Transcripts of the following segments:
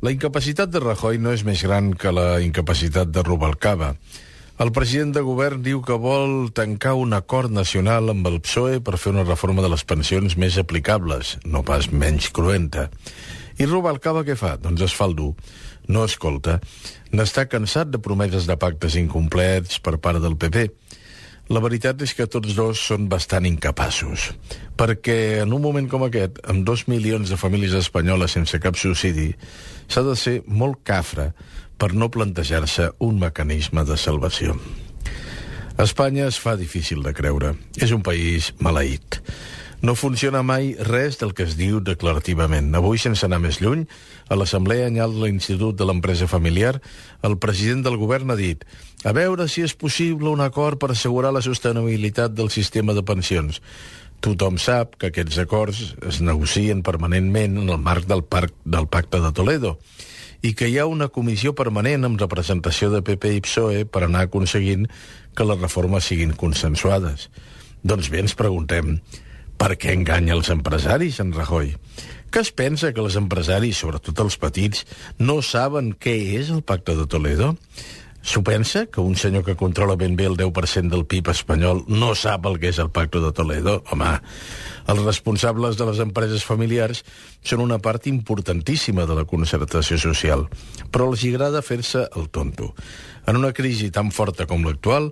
La incapacitat de Rajoy no és més gran que la incapacitat de Rubalcaba. El president de govern diu que vol tancar un acord nacional amb el PSOE per fer una reforma de les pensions més aplicables, no pas menys cruenta. I Rubalcaba què fa? Doncs es fa el dur. No escolta. N'està cansat de promeses de pactes incomplets per part del PP. La veritat és que tots dos són bastant incapaços, perquè en un moment com aquest, amb 2 milions de famílies espanyoles sense cap subsidi, s'ha de ser molt cafre per no plantejar-se un mecanisme de salvació. Espanya es fa difícil de creure. És un país maleït. No funciona mai res del que es diu declarativament. Avui, sense anar més lluny, a l'Assemblea Anyal de l'Institut de l'Empresa Familiar, el president del govern ha dit: a veure si és possible un acord per assegurar la sostenibilitat del sistema de pensions. Tothom sap que aquests acords es negocien permanentment en el marc del Pacte de Toledo i que hi ha una comissió permanent amb representació de PP i PSOE per anar aconseguint que les reformes siguin consensuades. Doncs bé, ens preguntem: per què enganya els empresaris, en Rajoy? Que es pensa que els empresaris, sobretot els petits, no saben què és el Pacte de Toledo? S'ho pensa que un senyor que controla ben bé el 10% del PIB espanyol no sap el que és el Pacte de Toledo? Home, els responsables de les empreses familiars són una part importantíssima de la concertació social, però els agrada fer-se el tonto. En una crisi tan forta com l'actual,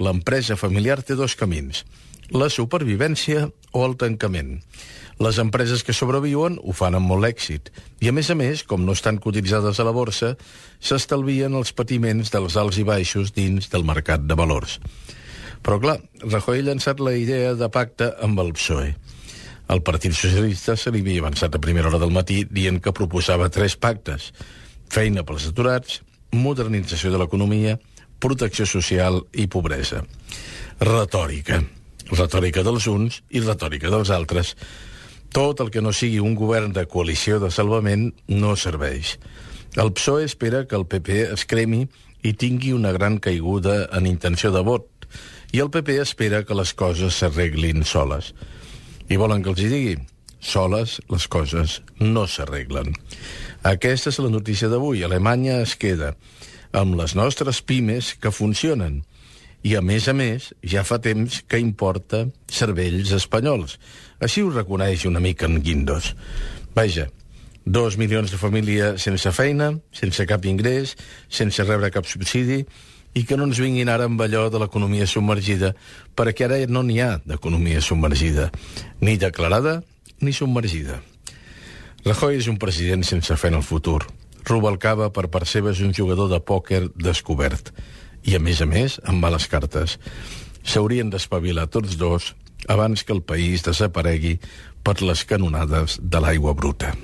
l'empresa familiar té dos camins: la supervivència o el tancament. Les empreses que sobreviuen ho fan amb molt èxit i, a més, com no estan cotitzades a la borsa, s'estalvien els patiments dels alts i baixos dins del mercat de valors. Però, clar, Rajoy ha llançat la idea de pacte amb el PSOE. El Partit Socialista se li havia avançat a primera hora del matí dient que proposava 3 pactes: feina pels aturats, modernització de l'economia, protecció social i pobresa. Retòrica. Retòrica dels uns i retòrica dels altres. Tot el que no sigui un govern de coalició de salvament no serveix. El PSOE espera que el PP es cremi i tingui una gran caiguda en intenció de vot, i el PP espera que les coses s'arreglin soles. I volen que els hi digui? Soles les coses no s'arreglen. Aquesta és la notícia d'avui. Alemanya es queda amb les nostres pimes que funcionen. I, a més, ja fa temps que importa cervells espanyols. Així ho reconeix una mica en Guindos. Vaja, 2 milions de famílies sense feina, sense cap ingrés, sense rebre cap subsidi, i que no ens vinguin ara amb allò de l'economia submergida, perquè ara no n'hi ha d'economia submergida, ni declarada ni submergida. Rajoy és un president sense fe en el futur. Rubalcaba, per part seva, és un jugador de pòquer descobert. I, a més, amb males cartes. S'haurien d'espavilar tots dos abans que el país desaparegui per les canonades de l'aigua bruta.